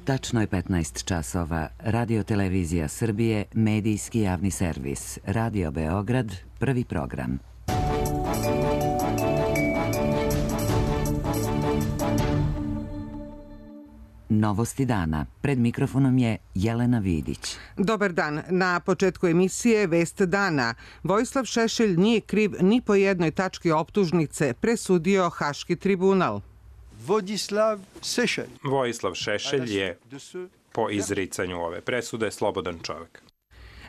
Tačno je 15 časova. Radio Televizija Srbije, medijski javni servis. Radio Beograd, prvi program. Novosti dana. Pred mikrofonom je Jelena Vidić. Dobar dan. Na početku emisije Vest dana. Vojislav Šešelj nije kriv ni po jednoj tački optužnice, presudio Haški tribunal. Vojislav Šešelj je po izricanju ove presude slobodan čovjek.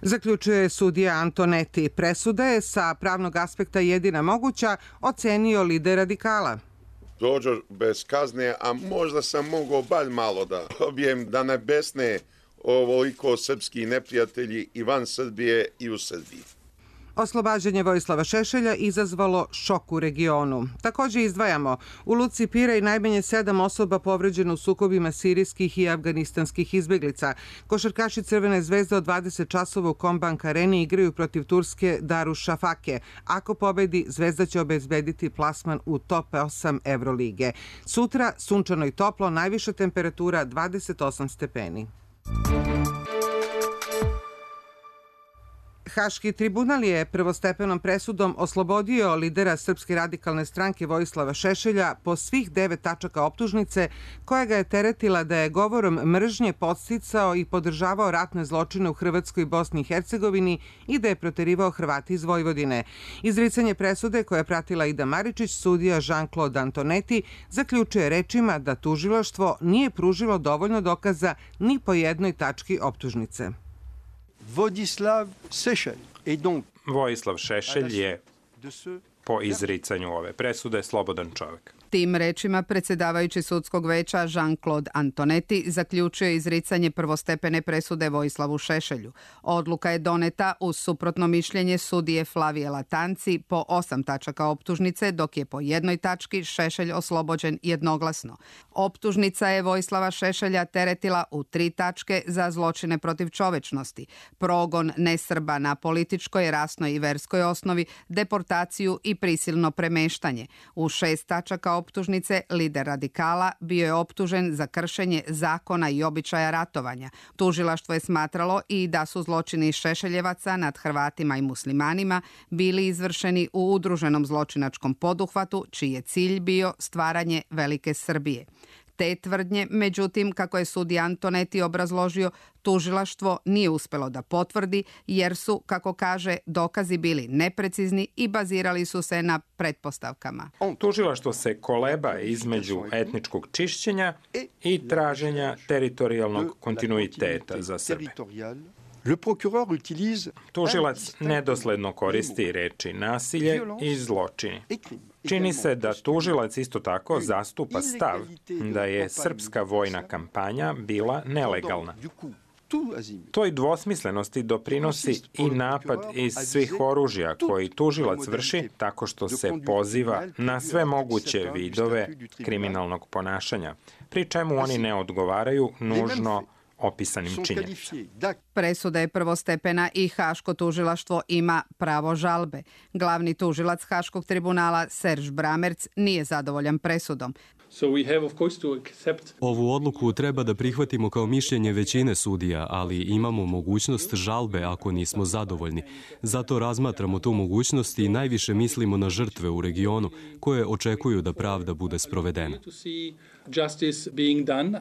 Zaključuje sudija Antoneti. Presuda je sa pravnog aspekta jedina moguća, ocenio lider radikala. Dođo bez kazne, a možda sam mogao bar malo da dobijem da ne besne ovoliko srpski neprijatelji i van Srbije i u Srbiji. Oslobađanje Vojislava Šešelja izazvalo šok u regionu. Također izdvajamo, u Luci Pirej najmanje 7 osoba povređeno u sukobima sirijskih i afganistanskih izbeglica. Košarkaši Crvene zvezde od 20 časova u Kombank areni igraju protiv Turske Darüşşafake. Ako pobedi, Zvezda će obezbediti plasman u top 8 Evrolige. Sutra sunčano i toplo, najviša temperatura 28 stepeni. Haški tribunal je prvostepenom presudom oslobodio lidera Srpske radikalne stranke Vojislava Šešelja po svih 9 tačaka optužnice koja ga je teretila da je govorom mržnje podsticao i podržavao ratne zločine u Hrvatskoj i Bosni i Hercegovini i da je proterivao Hrvati iz Vojvodine. Izricanje presude koja je pratila Ida Maričić, sudija Jean-Claude Antoneti, zaključuje rečima da tužilaštvo nije pružilo dovoljno dokaza ni po jednoj tački optužnice. Vojislav Šešelj je po izricanju ove presude slobodan čovjek. Tim rečima predsjedavajući sudskog veća Jean-Claude Antoneti zaključuje izricanje prvostepene presude Vojislavu Šešelju. Odluka je doneta uz suprotno mišljenje sudije Flavije Latanci po 8 tačaka optužnice, dok je po jednoj tački Šešelj oslobođen jednoglasno. Optužnica je Vojislava Šešelja teretila u 3 tačke za zločine protiv čovečnosti, progon nesrba na političkoj, rasnoj i verskoj osnovi, deportaciju i prisilno premeštanje. U 6 tačaka optužnice lider radikala bio je optužen za kršenje zakona i običaja ratovanja. Tužilaštvo je smatralo i da su zločini Šešeljevaca nad Hrvatima i muslimanima bili izvršeni u udruženom zločinačkom poduhvatu čiji je cilj bio stvaranje Velike Srbije. Te tvrdnje, međutim, kako je sudija Antoneti obrazložio, tužilaštvo nije uspjelo da potvrdi jer su, kako kaže, dokazi bili neprecizni i bazirali su se na pretpostavkama. Tužilaštvo se koleba između etničkog čišćenja i traženja teritorijalnog kontinuiteta za Srbe. Tužilac nedosledno koristi reči nasilje i zločini. Čini se da tužilac isto tako zastupa stav da je srpska vojna kampanja bila nelegalna. Toj dvosmislenosti doprinosi i napad iz svih oružja koji tužilac vrši tako što se poziva na sve moguće vidove kriminalnog ponašanja, pri čemu oni ne odgovaraju nužno opisanim činjenicama. Presuda je prvostepena i Haško tužilaštvo ima pravo žalbe. Glavni tužilac Haškog tribunala Serž Bramerc nije zadovoljan presudom. Ovu odluku treba da prihvatimo kao mišljenje većine sudija, ali imamo mogućnost žalbe ako nismo zadovoljni. Zato razmatramo tu mogućnost i najviše mislimo na žrtve u regionu koje očekuju da pravda bude sprovedena.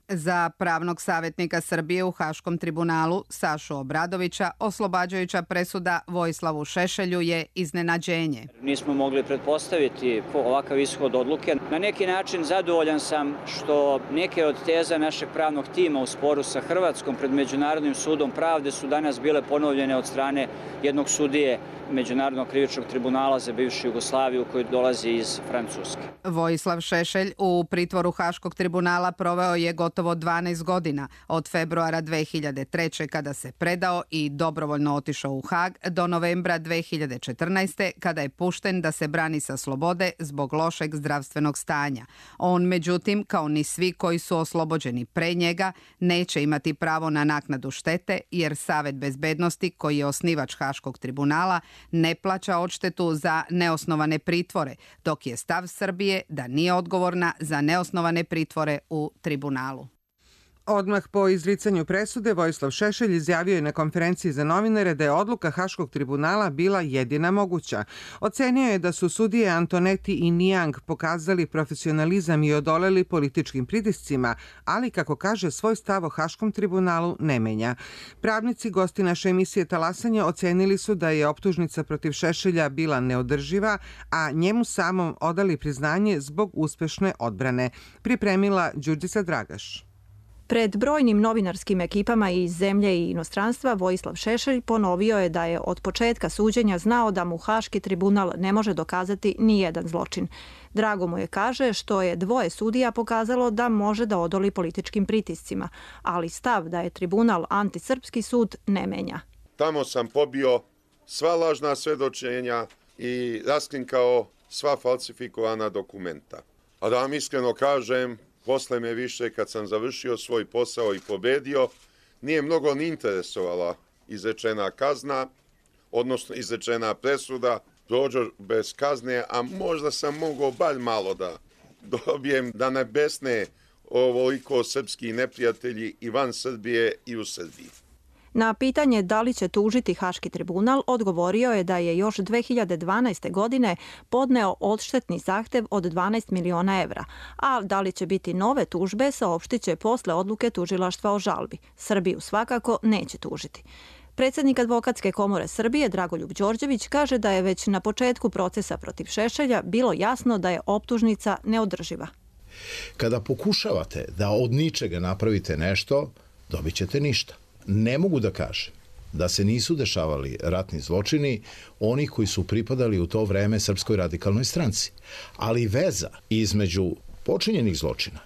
Za pravnog savjetnika Srbije u Haškom tribunalu Sašu Obradovića oslobađajuća presuda Vojislavu Šešelju je iznenađenje. Nismo mogli pretpostaviti ovakav ishod odluke. Na neki način zadovoljan sam što neke od teza našeg pravnog tima u sporu sa Hrvatskom pred Međunarodnim sudom pravde su danas bile ponovljene od strane jednog sudije Međunarodnog krivičnog tribunala za bivšu Jugoslaviju koji dolazi iz Francuske. Vojislav Šešelj u pritvoru Haškog tribunala proveo je gotovo 12 godina, od februara 2003. kada se predao i dobrovoljno otišao u Hag do novembra 2014. kada je pušten da se brani sa slobode zbog lošeg zdravstvenog stanja. On, međutim, kao ni svi koji su oslobođeni pre njega, neće imati pravo na naknadu štete jer Savet bezbednosti, koji je osnivač Haškog tribunala, ne plaća odštetu za neosnovane pritvore, dok je stav Srbije da nije odgovorna za neosnovane pritvore u tribunalu. Odmah po izricanju presude, Vojislav Šešelj izjavio je na konferenciji za novinare da je odluka Haškog tribunala bila jedina moguća. Ocenio je da su sudije Antoneti i Nijang pokazali profesionalizam i odoleli političkim pritiscima, ali, kako kaže, svoj stav o Haškom tribunalu ne menja. Pravnici, gosti naše emisije Talasanje, ocenili su da je optužnica protiv Šešelja bila neodrživa, a njemu samom odali priznanje zbog uspešne odbrane. Pripremila Đurđica Dragaš. Pred brojnim novinarskim ekipama iz zemlje i inostranstva Vojislav Šešelj ponovio je da je od početka suđenja znao da mu Haški tribunal ne može dokazati ni jedan zločin. Drago mu je, kaže, što je dvoje sudija pokazalo da može da odoli političkim pritiscima, ali stav da je tribunal antisrpski sud ne menja. Tamo sam pobio sva lažna svedočenja i raskrinkao sva falsifikovana dokumenta. A da vam iskreno kažem, posle me više, kad sam završio svoj posao i pobedio, nije mnogo ni interesovala izrečena kazna, odnosno izrečena presuda, prođo bez kazne, a možda sam mogao bar malo da dobijem da ne besne ovoliko srpski neprijatelji i van Srbije i u Srbiji. Na pitanje da li će tužiti Haški tribunal, odgovorio je da je još 2012. godine podneo odštetni zahtev od 12 miliona evra, a da li će biti nove tužbe saopštit će posle odluke tužilaštva o žalbi. Srbiju svakako neće tužiti. Predsjednik Advokatske komore Srbije Dragoljub Đorđević kaže da je već na početku procesa protiv Šešelja bilo jasno da je optužnica neodrživa. Kada pokušavate da od ničega napravite nešto, dobit ćete ništa. Ne mogu da kažem da se nisu dešavali ratni zločini onih koji su pripadali u to vreme Srpskoj radikalnoj stranci. Ali veza između počinjenih zločina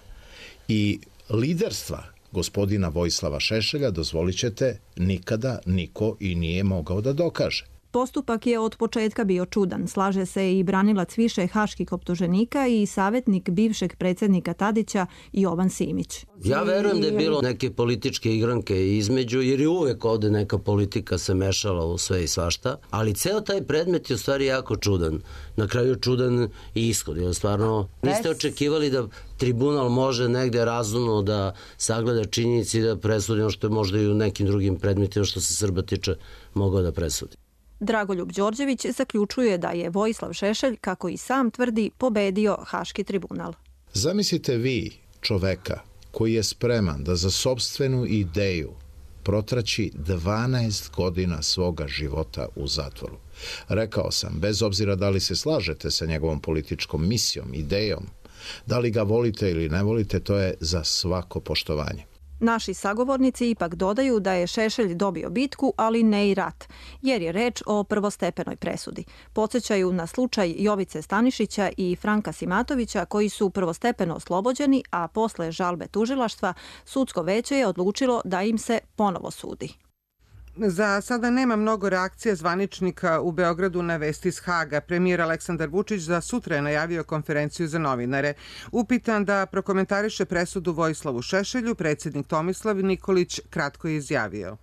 i liderstva gospodina Vojislava Šešelja, dozvolit ćete, nikada niko i nije mogao da dokaže. Postupak je od početka bio čudan, slaže se i branilac više haških optuženika i savjetnik bivšeg predsjednika Tadića Jovan Simić. Ja verujem da je bilo neke političke igranke između, jer je uvek ovde neka politika se mešala u sve i svašta, ali ceo taj predmet je u stvari jako čudan. Na kraju čudan i ishod, jer stvarno niste očekivali da tribunal može negde razumno da sagleda činjenici i da presudi ono što je možda i u nekim drugim predmetima što se Srba tiče mogao da presudi. Dragoljub Đorđević zaključuje da je Vojislav Šešelj, kako i sam tvrdi, pobedio Haški tribunal. Zamislite vi čoveka koji je spreman da za sopstvenu ideju protraći 12 godina svoga života u zatvoru. Rekao sam, bez obzira da li se slažete sa njegovom političkom misijom, idejom, da li ga volite ili ne volite, to je za svako poštovanje. Naši sagovornici ipak dodaju da je Šešelj dobio bitku, ali ne i rat, jer je reč o prvostepenoj presudi. Podsjećaju na slučaj Jovice Stanišića i Franka Simatovića, koji su prvostepeno oslobođeni, a posle žalbe tužilaštva sudsko veće je odlučilo da im se ponovo sudi. Za sada nema mnogo reakcija zvaničnika u Beogradu na vesti iz Haga. Premijer Aleksandar Vučić za sutra je najavio konferenciju za novinare. Upitan da prokomentariše presudu Vojislavu Šešelju, predsjednik Tomislav Nikolić kratko je izjavio.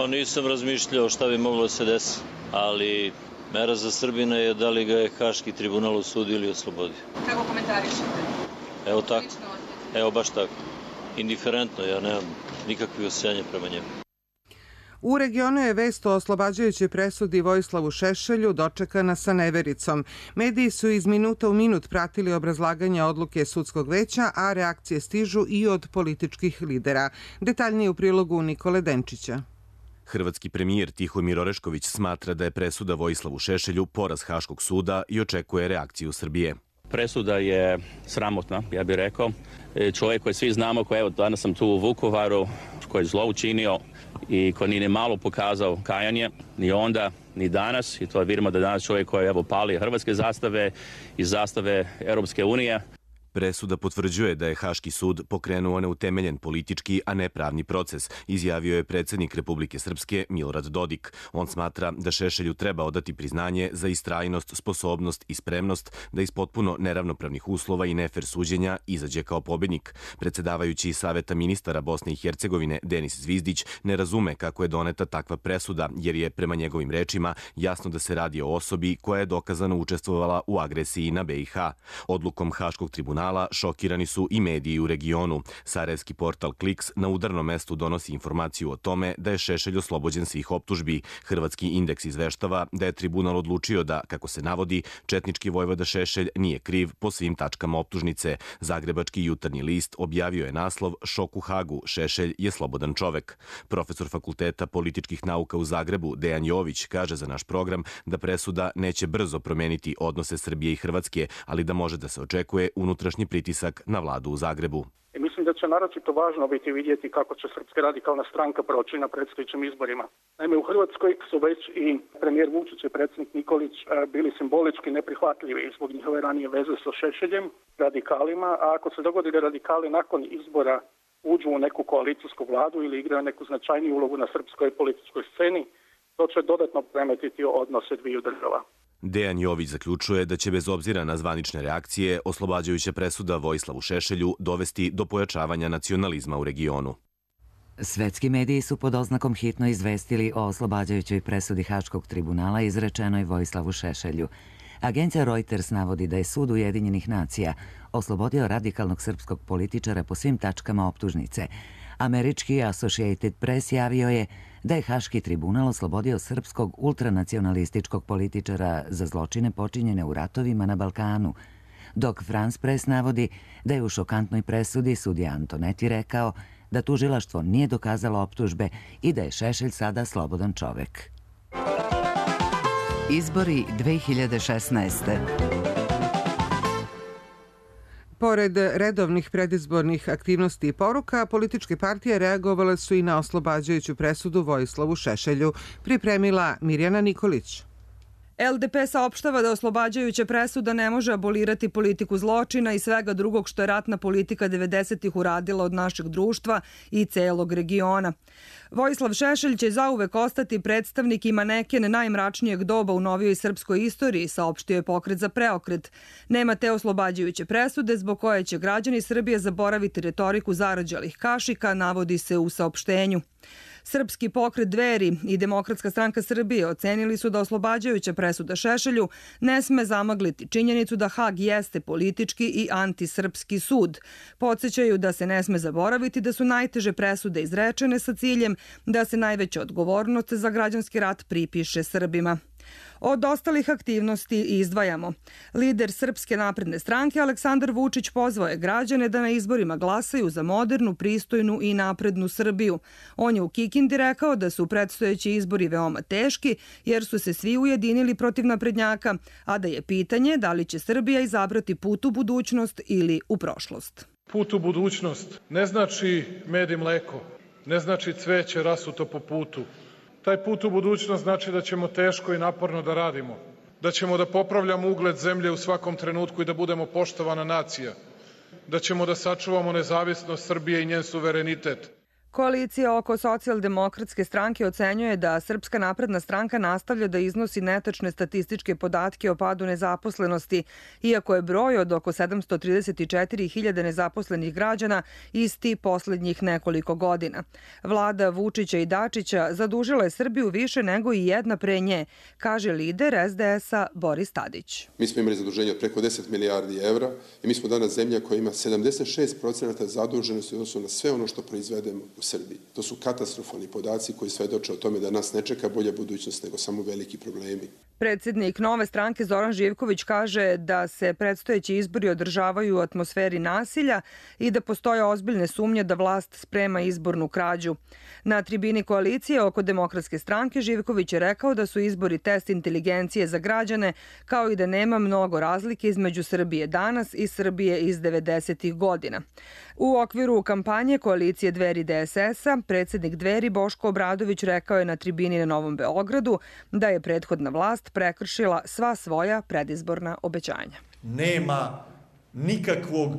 Nisam razmišljao šta bi moglo da se desi, ali mera za Srbina je da li ga je Haški tribunal osudio ili oslobodio. Kako komentarišete? Evo tako. Evo baš tako. Indiferentno, ja nemam nikakve osjećanja prema njemu. U regionu je vest o oslobađajućoj presudi Vojislavu Šešelju dočekana sa nevericom. Mediji su iz minuta u minut pratili obrazlaganje odluke sudskog veća, a reakcije stižu i od političkih lidera. Detaljnije u prilogu Nikole Denčića. Hrvatski premijer Tihomir Orešković smatra da je presuda Vojislavu Šešelju poraz Haškog suda i očekuje reakciju Srbije. Presuda je sramotna, ja bih rekao. Čovjek koji svi znamo, koji evo danas sam tu u Vukovaru, koji je zlo učinio i koji nije malo pokazao kajanje, ni onda, ni danas. I to vidimo da danas čovjek koji evo pali hrvatske zastave i zastave Europske unije. Presuda potvrđuje da je Haški sud pokrenuo neutemeljen politički, a ne pravni proces, izjavio je predsjednik Republike Srpske Milorad Dodik. On smatra da Šešelju treba odati priznanje za istrajnost, sposobnost i spremnost da iz potpuno neravnopravnih uslova i nefer suđenja izađe kao pobednik. Predsedavajući Saveta ministara Bosne i Hercegovine Denis Zvizdić ne razume kako je doneta takva presuda, jer je prema njegovim rečima jasno da se radi o osobi koja je dokazano učestvovala u agresiji na BiH. Odlukom Haškog tribunala tribunala šokirani su i mediji u regionu. Sarajevski portal Kliks na udarnom mestu donosi informaciju o tome da je Šešelj oslobođen svih optužbi. Hrvatski indeks izveštava da je tribunal odlučio da, kako se navodi, četnički vojvoda Šešelj nije kriv po svim tačkama optužnice. Zagrebački jutarnji list objavio je naslov "Šok u Hagu, Šešelj je slobodan čovek". Profesor Fakulteta političkih nauka u Zagrebu, Dejan Jović, kaže za naš program da presuda neće brzo promeniti odnose Srbije i Hrvatske, ali da može da se očekuje unutrašnji pritisak na vladu u Zagrebu. Mislim da će naročito važno biti vidjeti kako će Srpska radikalna stranka proći na predstojećim izborima. Naime, u Hrvatskoj su već i premijer Vučić i predsjednik Nikolić bili simbolički neprihvatljivi zbog njihove ranije veze sa Šešeljem, radikalima, a ako se dogodi da radikali nakon izbora uđu u neku koalicijsku vladu ili igraju neku značajniju ulogu na srpskoj političkoj sceni, to će dodatno premetiti odnose dviju država. Dejan Jović zaključuje da će bez obzira na zvanične reakcije oslobađajuća presuda Vojislavu Šešelju dovesti do pojačavanja nacionalizma u regionu. Svetski mediji su pod oznakom hitno izvestili o oslobađajućoj presudi Haškog tribunala izrečenoj Vojislavu Šešelju. Agencija Reuters navodi da je Sud Ujedinjenih nacija oslobodio radikalnog srpskog političara po svim tačkama optužnice. Američki Associated Press javio je da je Haški tribunal oslobodio srpskog ultranacionalističkog političara za zločine počinjene u ratovima na Balkanu, dok France Press navodi da je u šokantnoj presudi sudija Antoneti rekao da tužilaštvo nije dokazalo optužbe i da je Šešelj sada slobodan čovek. Izbori 2016. Pored redovnih predizbornih aktivnosti i poruka, političke partije reagovale su i na oslobađajuću presudu Vojislavu Šešelju, pripremila Mirjana Nikolić. LDP saopštava da oslobađajuća presuda ne može abolirati politiku zločina i svega drugog što je ratna politika 90-ih uradila od našeg društva i celog regiona. Vojislav Šešelj će zauvek ostati predstavnik i maneken najmračnijeg doba u novijoj srpskoj istoriji, saopštio je Pokret za preokret. Nema te oslobađajuće presude zbog koje će građani Srbije zaboraviti retoriku zarađalih kašika, navodi se u saopštenju. Srpski pokret Dveri i Demokratska stranka Srbije ocenili su da oslobađajuća presuda Šešelju ne sme zamagliti činjenicu da Hag jeste politički i antisrpski sud. Podsećaju da se ne sme zaboraviti da su najteže presude izrečene sa ciljem da se najveća odgovornost za građanski rat pripiše Srbima. Od ostalih aktivnosti izdvajamo. Lider Srpske napredne stranke Aleksandar Vučić pozvao je građane da na izborima glasaju za modernu, pristojnu i naprednu Srbiju. On je u Kikindi rekao da su predstojeći izbori veoma teški jer su se svi ujedinili protiv naprednjaka, a da je pitanje da li će Srbija izabrati put u budućnost ili u prošlost. Put u budućnost ne znači med i mleko, ne znači cveće rasuto po putu. Taj put u budućnost znači da ćemo teško i naporno da radimo, da ćemo da popravljamo ugled zemlje u svakom trenutku i da budemo poštovana nacija, da ćemo da sačuvamo nezavisnost Srbije i njen suverenitet. Koalicija oko Socijaldemokratske stranke ocenjuje da Srpska napredna stranka nastavlja da iznosi netačne statističke podatke o padu nezaposlenosti, iako je broj od oko 734.000 nezaposlenih građana isti poslednjih nekoliko godina. Vlada Vučića i Dačića zadužila je Srbiju više nego i jedna pre nje, kaže lider SDS-a Boris Tadić. Mi smo imali zaduženje od preko 10 milijardi evra i mi smo danas zemlja koja ima 76% zaduženosti u odnosu na sve ono što proizvedemo u Srbiji. To su katastrofalni podaci koji svedoče o tome da nas ne čeka bolja budućnost nego samo veliki problemi. Predsjednik Nove stranke Zoran Živković kaže da se predstojeći izbori održavaju u atmosferi nasilja i da postoje ozbiljne sumnje da vlast sprema izbornu krađu. Na tribini koalicije oko Demokratske stranke Živković je rekao da su izbori test inteligencije za građane, kao i da nema mnogo razlike između Srbije danas i Srbije iz 90-ih godina. U okviru kampanje koalicije Dveri DSS-a, predsjednik Dveri Boško Obradović rekao je na tribini na Novom Beogradu da je prethodna vlast prekršila sva svoja predizborna obećanja. Nema nikakvog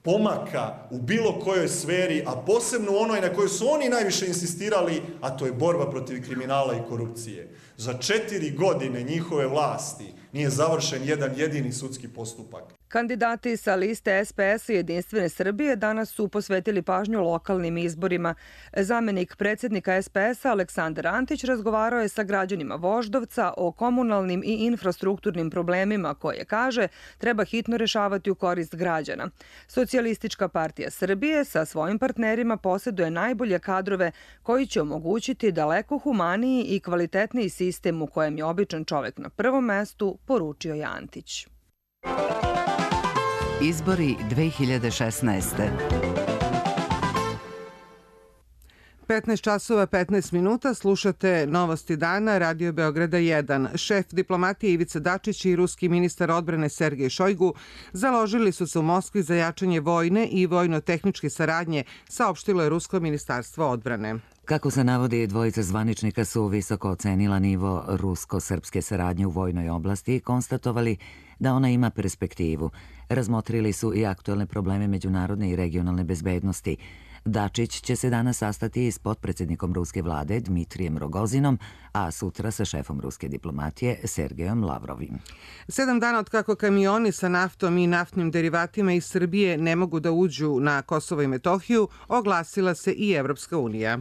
pomaka u bilo kojoj sferi, a posebno u onoj na kojoj su oni najviše insistirali, a to je borba protiv kriminala i korupcije. Za 4 godine njihove vlasti nije završen jedan jedini sudski postupak. Kandidati sa liste SPS i Jedinstvene Srbije danas su posvetili pažnju lokalnim izborima. Zamenik predsjednika SPS-a Aleksandar Antić razgovarao je sa građanima Voždovca o komunalnim i infrastrukturnim problemima koje, kaže, treba hitno rešavati u korist građana. Socijalistička partija Srbije sa svojim partnerima posjeduje najbolje kadrove koji će omogućiti daleko humaniji i kvalitetniji sistem u kojem je običan čovek na prvom mestu, poručio je Antić. Izbori 2016. 15 časova 15 minuta, slušate Novosti dana, Radio Beograda 1. Šef diplomatije Ivica Dačić i ruski ministar odbrane Sergej Šojgu založili su se u Moskvi za jačanje vojne i vojno-tehničke saradnje, saopštilo je Rusko ministarstvo odbrane. Kako se navodi, dvojica zvaničnika su visoko ocenila nivo rusko-srpske saradnje u vojnoj oblasti i konstatovali da ona ima perspektivu. Razmotrili su i aktuelne probleme međunarodne i regionalne bezbednosti. Dačić će se danas sastati s potpredsjednikom ruske vlade Dmitrijem Rogozinom, a sutra sa šefom ruske diplomatije Sergejom Lavrovim. 7 dana od kako kamioni sa naftom i naftnim derivatima iz Srbije ne mogu da uđu na Kosovo i Metohiju, oglasila se i Evropska unija.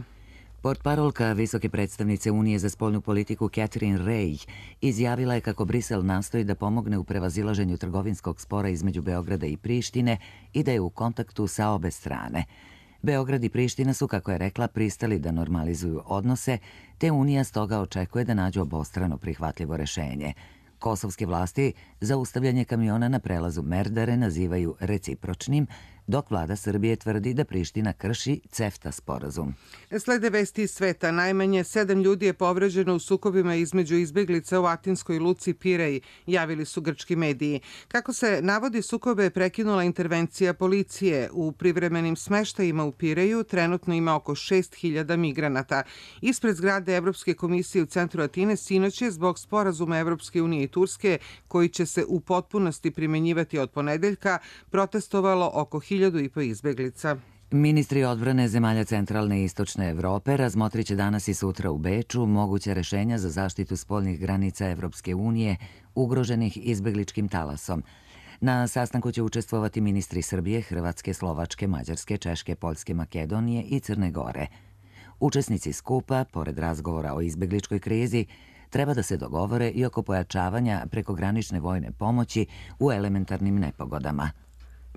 Portparolka visoke predstavnice Unije za spoljnu politiku Catherine Ray izjavila je kako Brisel nastoji da pomogne u prevazilaženju trgovinskog spora između Beograda i Prištine i da je u kontaktu sa obe strane. Beograd i Priština su, kako je rekla, pristali da normalizuju odnose, te Unija stoga očekuje da nađu obostrano prihvatljivo rešenje. Kosovske vlasti zaustavljanje kamiona na prelazu Merdare nazivaju recipročnim, dok vlada Srbije tvrdi da Priština krši CEFTA sporazum. Slede vesti iz sveta. Najmanje 7 ljudi je povređeno u sukobima između izbeglica u atinskoj luci Pirej, javili su grčki mediji. Kako se navodi, sukobe je prekinula intervencija policije. U privremenim smeštajima u Pireju trenutno ima oko 6.000 migranata. Ispred zgrade Evropske komisije u centru Atine sinoć je zbog sporazuma Evropske unije i Turske, koji će se u potpunosti primenjivati od ponedeljka, protestovalo oko 1.500 izbeglica. Ministri odbrane zemalja centralne i istočne Evrope razmotrit će danas i sutra u Beču moguće rešenja za zaštitu spoljnih granica Evropske unije ugroženih izbegličkim talasom. Na sastanku će učestvovati ministri Srbije, Hrvatske, Slovačke, Mađarske, Češke, Poljske, Makedonije i Crne Gore. Učesnici skupa, pored razgovora o izbegličkoj krizi, treba da se dogovore i oko pojačavanja prekogranične vojne pomoći u elementarnim nepogodama.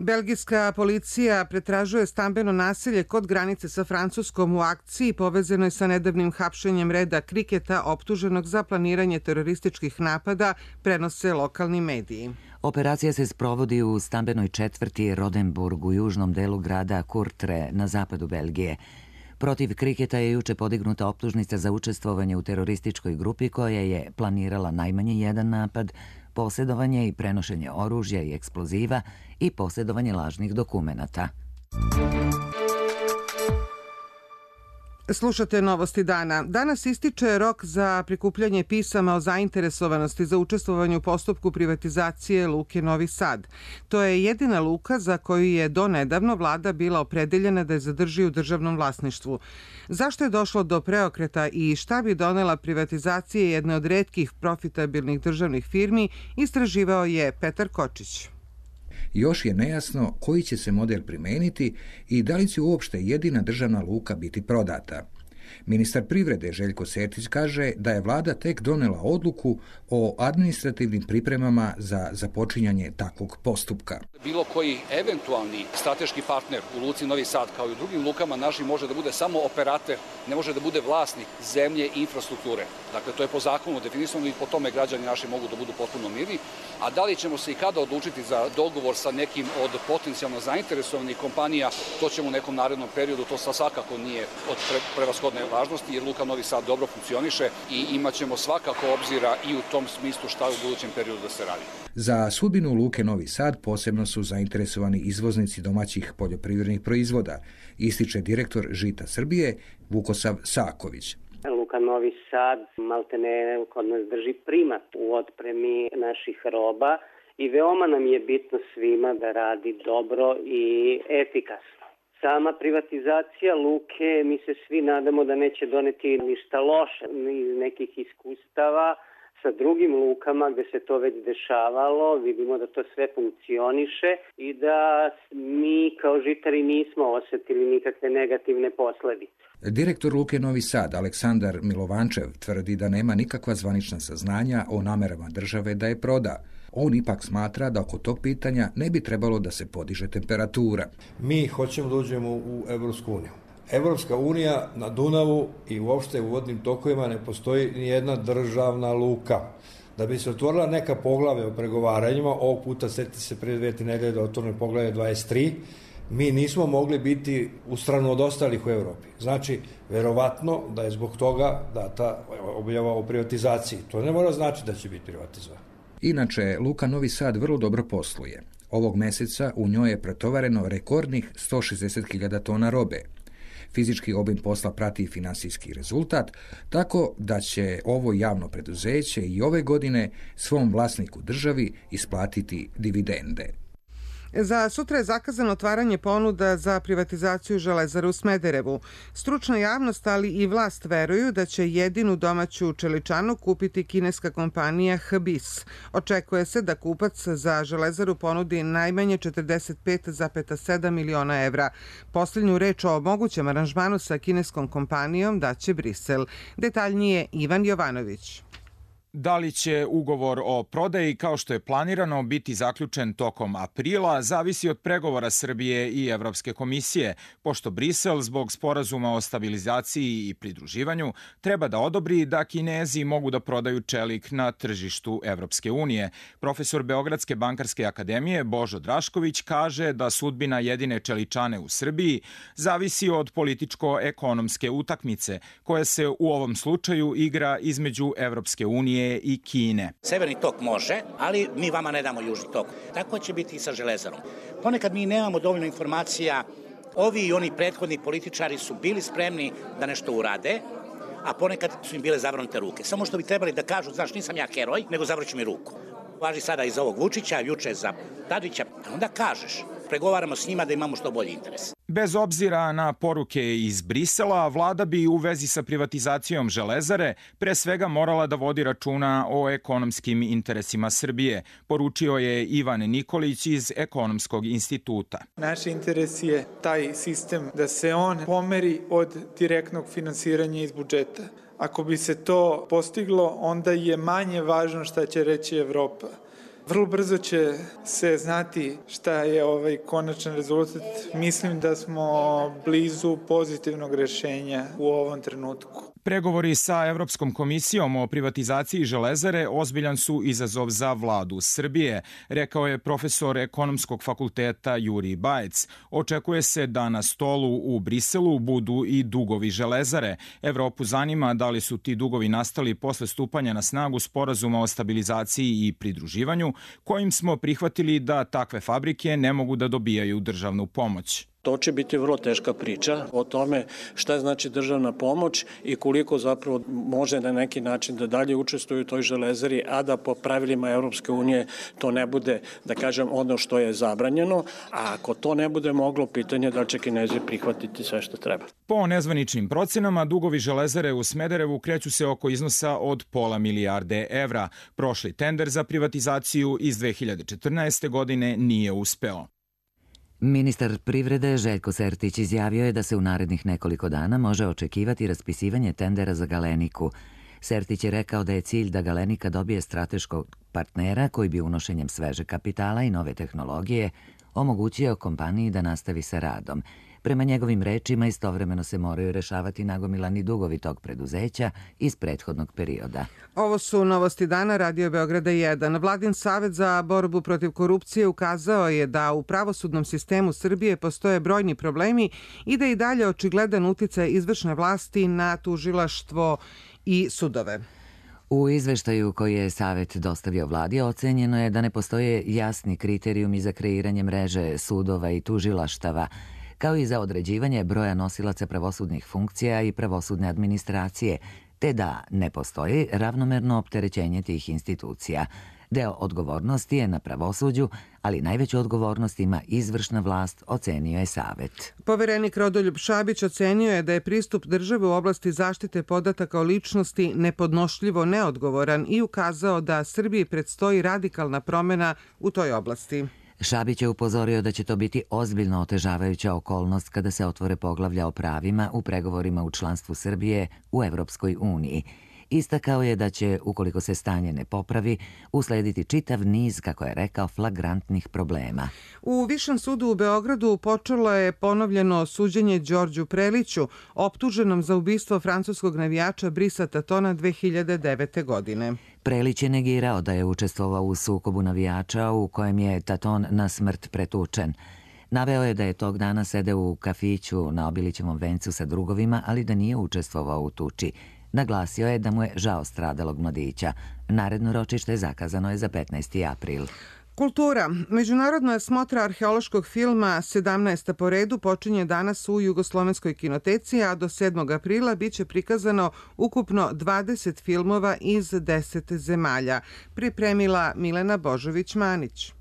Belgijska policija pretražuje stambeno naselje kod granice sa Francuskom u akciji povezanoj sa nedavnim hapšenjem Reda Kriketa, optuženog za planiranje terorističkih napada, prenose lokalni mediji. Operacija se sprovodi u stambenoj četvrti Rodenburg u južnom delu grada Courtrai na zapadu Belgije. Protiv Kriketa je juče podignuta optužnica za učestvovanje u terorističkoj grupi koja je planirala najmanje jedan napad, posjedovanje i prenošenje oružja i eksploziva i posjedovanje lažnih dokumenata. Slušate Novosti dana. Danas ističe rok za prikupljanje pisama o zainteresovanosti za učestvovanje u postupku privatizacije Luke Novi Sad. To je jedina luka za koju je donedavno vlada bila opredeljena da je zadrži u državnom vlasništvu. Zašto je došlo do preokreta i šta bi donela privatizacija jedne od retkih profitabilnih državnih firmi, istraživao je Petar Kočić. Još je nejasno koji će se model primeniti i da li će uopšte jedina državna luka biti prodata. Ministar privrede Željko Sertić kaže da je vlada tek donela odluku o administrativnim pripremama za započinjanje takvog postupka. Bilo koji eventualni strateški partner u luci Novi Sad, kao i u drugim lukama našim, može da bude samo operater, ne može da bude vlasnik zemlje i infrastrukture. Dakle, to je po zakonu definisano i po tome građani naši mogu da budu potpuno mirni. A da li ćemo se i kada odlučiti za dogovor sa nekim od potencijalno zainteresovanih kompanija, to ćemo u nekom narednom periodu, to svakako nije od prevashodne važnosti, jer Luka Novi Sad dobro funkcioniše i imaćemo svakako obzira i u tom smislu šta u budućem periodu da se radi. Za sudbinu Luke Novi Sad posebno su zainteresovani izvoznici domaćih poljoprivrednih proizvoda, ističe direktor Žita Srbije Vukosav Saković. Luka Novi Sad maltene kod nas drži primat u otpremi naših roba i veoma nam je bitno svima da radi dobro i efikasno. Sama privatizacija luke, mi se svi nadamo da neće doneti ništa loše. Iz nekih iskustava sa drugim lukama gde se to već dešavalo. Vidimo da to sve funkcioniše i da mi kao žitari nismo osetili nikakve negativne posledice. Direktor Luke Novi Sad, Aleksandar Milovančev, tvrdi da nema nikakva zvanična saznanja o namerama države da je proda. On ipak smatra da oko tog pitanja ne bi trebalo da se podiže temperatura. Mi hoćemo da uđemo u Evropsku uniju. Evropska unija na Dunavu i uopšte u vodnim tokovima ne postoji ni jedna državna luka. Da bi se otvorila neka poglave o pregovaranjima, ovog puta setite se pre 2 nedelje da otvorene poglave 23, mi nismo mogli biti u stranu od ostalih u Evropi. Znači, verovatno da je zbog toga data objava o privatizaciji. To ne mora znači da će biti privatizovan. Inače, Luka Novi Sad vrlo dobro posluje. Ovog meseca u njoj je pretovareno rekordnih 160.000 tona robe. Fizički obim posla prati finansijski rezultat, tako da će ovo javno preduzeće i ove godine svom vlasniku državi isplatiti dividende. Za sutra je zakazano otvaranje ponuda za privatizaciju Železare u Smederevu. Stručna javnost, ali i vlast veruju da će jedinu domaću čeličanu kupiti kineska kompanija HBIS. Očekuje se da kupac za Železaru ponudi najmanje 45,7 miliona evra. Posljednju reč o mogućem aranžmanu sa kineskom kompanijom daće Brisel. Detaljnije Ivan Jovanović. Da li će ugovor o prodaji, kao što je planirano, biti zaključen tokom aprila, zavisi od pregovora Srbije i Evropske komisije, pošto Brisel zbog sporazuma o stabilizaciji i pridruživanju treba da odobri da Kinezi mogu da prodaju čelik na tržištu Evropske unije. Profesor Beogradske bankarske akademije Božo Drašković kaže da sudbina jedine čeličane u Srbiji zavisi od političko-ekonomske utakmice, koja se u ovom slučaju igra između Evropske unije i Kine. Severni tok može, ali mi vama ne damo južni tok. Tako će biti i sa Železarom. Ponekad mi nemamo dovoljno informacija. Ovi i oni prethodni političari su bili spremni da nešto urade, a ponekad su im bile zavrnute ruke. Samo što bi trebali da kažu, znaš, nisam ja heroj, nego zavrću mi ruku. Važi sada i za ovog Vučića, juče za Tadića, onda kažeš, pregovaramo s njima da imamo što bolji interes. Bez obzira na poruke iz Brisela, vlada bi u vezi sa privatizacijom Železare pre svega morala da vodi računa o ekonomskim interesima Srbije, poručio je Ivan Nikolić iz Ekonomskog instituta. Naš interes je taj sistem da se on pomeri od direktnog finansiranja iz budžeta. Ako bi se to postiglo, onda je manje važno šta će reći Evropa. Vrlo brzo će se znati šta je konačan rezultat. Mislim da smo blizu pozitivnog rešenja u ovom trenutku. Pregovori sa Evropskom komisijom o privatizaciji Železare ozbiljan su izazov za vladu Srbije, rekao je profesor Ekonomskog fakulteta Jurij Bajec. Očekuje se da na stolu u Briselu budu i dugovi Železare. Evropu zanima da li su ti dugovi nastali posle stupanja na snagu sporazuma o stabilizaciji i pridruživanju, kojim smo prihvatili da takve fabrike ne mogu da dobijaju državnu pomoć. To će biti vrlo teška priča o tome šta znači državna pomoć i koliko zapravo može na neki način da dalje učestvuju u toj Železari, a da po pravilima Evropske unije to ne bude, da kažem, ono što je zabranjeno, a ako to ne bude moglo, pitanje da će Kinezi prihvatiti sve što treba. Po nezvaničnim procenama, dugovi Železare u Smederevu kreću se oko iznosa od pola milijarde evra. Prošli tender za privatizaciju iz 2014. godine nije uspeo. Ministar privrede Željko Sertić izjavio je da se u narednih nekoliko dana može očekivati raspisivanje tendera za Galeniku. Sertić je rekao da je cilj da Galenika dobije strateškog partnera koji bi unošenjem sveže kapitala i nove tehnologije omogućio kompaniji da nastavi sa radom. Prema njegovim rečima, istovremeno se moraju rešavati nagomilani dugovi tog preduzeća iz prethodnog perioda. Ovo su novosti dana Radio Beograda 1. Vladin savet za borbu protiv korupcije ukazao je da u pravosudnom sistemu Srbije postoje brojni problemi i da i dalje očigledan uticaj izvršne vlasti na tužilaštvo i sudove. U izveštaju koji je Savet dostavio vladi ocenjeno je da ne postoje jasni kriterijumi za kreiranje mreže sudova i tužilaštava, kao i za određivanje broja nosilaca pravosudnih funkcija i pravosudne administracije, te da ne postoji ravnomerno opterećenje tih institucija. Deo odgovornosti je na pravosuđu, ali najveću odgovornost ima izvršna vlast, ocenio je Savet. Poverenik Rodoljub Šabić ocenio je da je pristup države u oblasti zaštite podataka o ličnosti nepodnošljivo neodgovoran i ukazao da Srbiji predstoji radikalna promena u toj oblasti. Šabić je upozorio da će to biti ozbiljno otežavajuća okolnost kada se otvore poglavlja o pravima u pregovorima u članstvu Srbije u Evropskoj uniji. Istakao je da će, ukoliko se stanje ne popravi, uslediti čitav niz, kako je rekao, flagrantnih problema. U Višem sudu u Beogradu počelo je ponovljeno suđenje Đorđu Preliću, optuženom za ubistvo francuskog navijača Brisa Tatona 2009. godine. Prelić je negirao da je učestvovao u sukobu navijača u kojem je Taton na smrt pretučen. Naveo je da je tog dana sedeo u kafiću na Obilićevom vencu sa drugovima, ali da nije učestvovao u tuči. Naglasio je da mu je žao stradalog mladića. Naredno ročište zakazano je za 15. april. Kultura. Međunarodna smotra arheološkog filma 17. po redu počinje danas u Jugoslovenskoj kinoteci, a do 7. aprila biće prikazano ukupno 20 filmova iz 10 zemalja. Pripremila Milena Božović-Manić.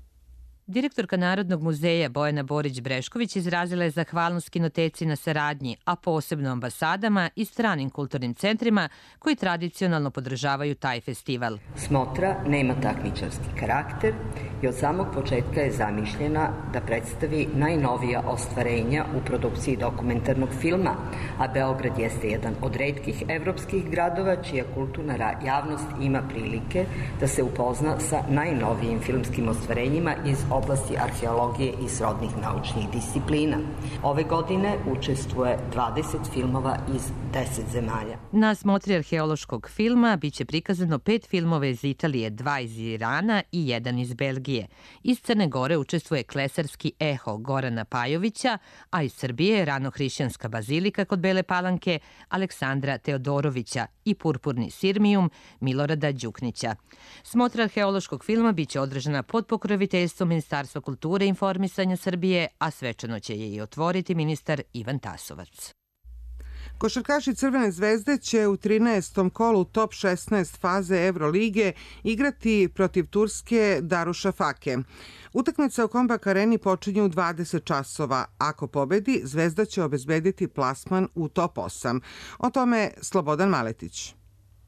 Direktorka Narodnog muzeja Bojana Borić-Brešković izrazila je zahvalnost kinoteci na saradnji, a posebno ambasadama i stranim kulturnim centrima koji tradicionalno podržavaju taj festival. Smotra nema takmičarski karakter i od samog početka je zamišljena da predstavi najnovija ostvarenja u produkciji dokumentarnog filma, a Beograd jeste jedan od retkih evropskih gradova čija kulturna javnost ima prilike da se upozna sa najnovijim filmskim ostvarenjima iz oblasti arheologije i srodnih naučnih disciplina. Ove godine učestvuje 20 filmova iz 10 zemalja. Na smotri arheološkog filma biće prikazano 5 filmova iz Italije, 2 iz Irana i 1 iz Belgije. Iz Crne Gore učestvuje Klesarski eho Gorana Pajovića, a iz Srbije Ranohrišćanska bazilika kod Bele Palanke Aleksandra Teodorovića i Purpurni sirmijum Milorada Đuknića. Smotra arheološkog filma biće održana pod pokroviteljstvom Ministarstva kulture i informisanja Srbije, a svečano će je i otvoriti ministar Ivan Tasovac. Košarkaši Crvene zvezde će u 13. kolu top 16 faze Evrolige igrati protiv Turske Darušafake. Utakmica u Kombak Areni počinje u 20 časova. Ako pobedi, Zvezda će obezbediti plasman u top 8. O tome Slobodan Maletić.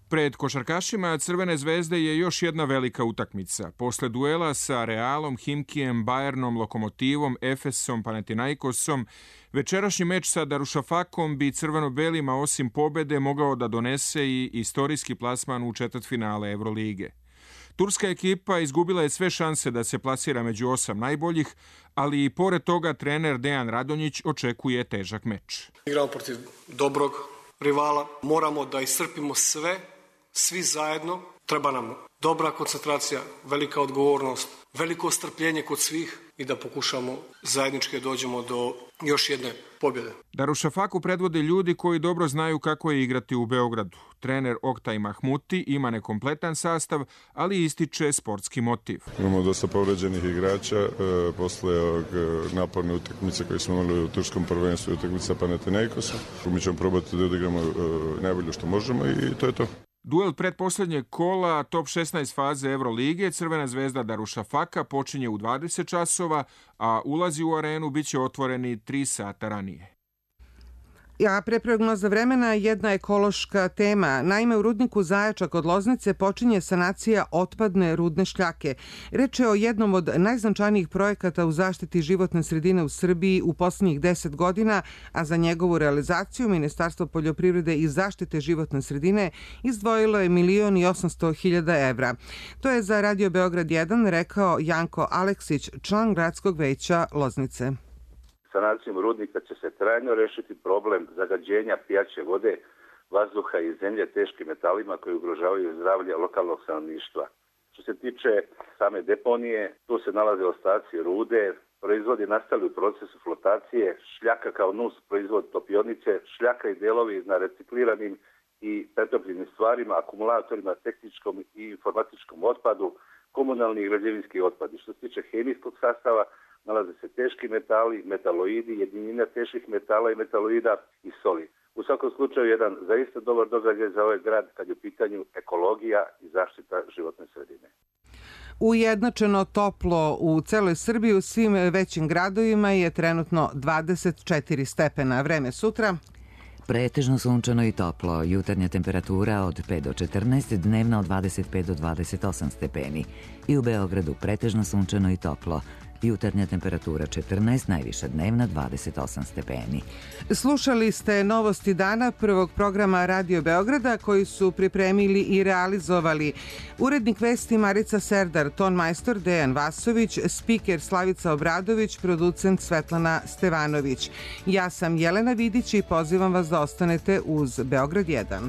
Pred košarkašima Crvene zvezde je još jedna velika utakmica. Posle duela sa Realom, Himkijem, Bajernom, Lokomotivom, Efesom, Panathinaikosom, večerašnji meč sa Darušafakom bi crveno-belima osim pobede mogao da donese i istorijski plasman u četvrtfinale Evrolige. Turska ekipa izgubila je sve šanse da se plasira među 8 najboljih, ali i pored toga trener Dejan Radonjić očekuje težak meč. Igramo protiv dobrog rivala, moramo da iscrpimo sve, svi zajedno. Treba nam dobra koncentracija, velika odgovornost, veliko strpljenje kod svih i da pokušamo zajednički dođemo do još jedne pobjede. Darušafaku predvode ljudi koji dobro znaju kako je igrati u Beogradu. Trener Oktaj Mahmuti ima nekompletan sastav, ali ističe sportski motiv. Imamo dosta povređenih igrača posle ovog naporne utakmice koje smo imali u turskom prvenstvu i utakmica Panathinaikosa. Mi ćemo probati da odigramo najbolje što možemo i to je to. Duel predposlednjeg kola top 16 faze Evrolige Crvena zvezda Darušafaka počinje u 20 časova, a ulazi u arenu biće otvoreni 3 sata ranije. A pre prognoza vremena jedna ekološka tema. Naime, u rudniku Zajača kod Loznice počinje sanacija otpadne rudne šljake. Reč je o jednom od najznačajnijih projekata u zaštiti životne sredine u Srbiji u poslednjih 10 godina, a za njegovu realizaciju Ministarstvo poljoprivrede i zaštite životne sredine izdvojilo je 1.800.000 evra. To je za Radio Beograd 1 rekao Janko Aleksić, član gradskog veća Loznice. Sanacijom rudnika će se trajno rešiti problem zagađenja pijaće vode, vazduha i zemlje teškim metalima koji ugrožavaju zdravlje lokalnog stanovništva. Što se tiče same deponije, tu se nalaze ostaci rude, proizvodi nastali u procesu flotacije, šljaka kao nus proizvod topionice, šljaka i delovi na recikliranim i pretopljenim stvarima, akumulatorima, tehničkom i informatičkom otpadu, komunalni i građevinski otpad. Što se tiče hemijskog sastava, nalaze se teški metali, metaloidi, jedinina teških metala i metaloida i soli. U svakom slučaju jedan zaista dobar događaj za ovaj grad kad je u pitanju ekologija i zaštita životne sredine. Ujednačeno toplo u celoj Srbiji, u svim većim gradovima je trenutno 24 stepena. Vreme sutra. Pretežno sunčano i toplo, jutarnja temperatura od 5 do 14, dnevna od 25 do 28 stepeni. I u Beogradu pretežno sunčano i toplo, jutarnja temperatura 14, najviša dnevna 28 stepeni. Slušali ste novosti dana prvog programa Radio Beograda koji su pripremili i realizovali urednik vesti Marica Serdar, ton majstor Dejan Vasović, spiker Slavica Obradović, producent Svetlana Stevanović. Ja sam Jelena Vidić i pozivam vas da ostanete uz Beograd 1.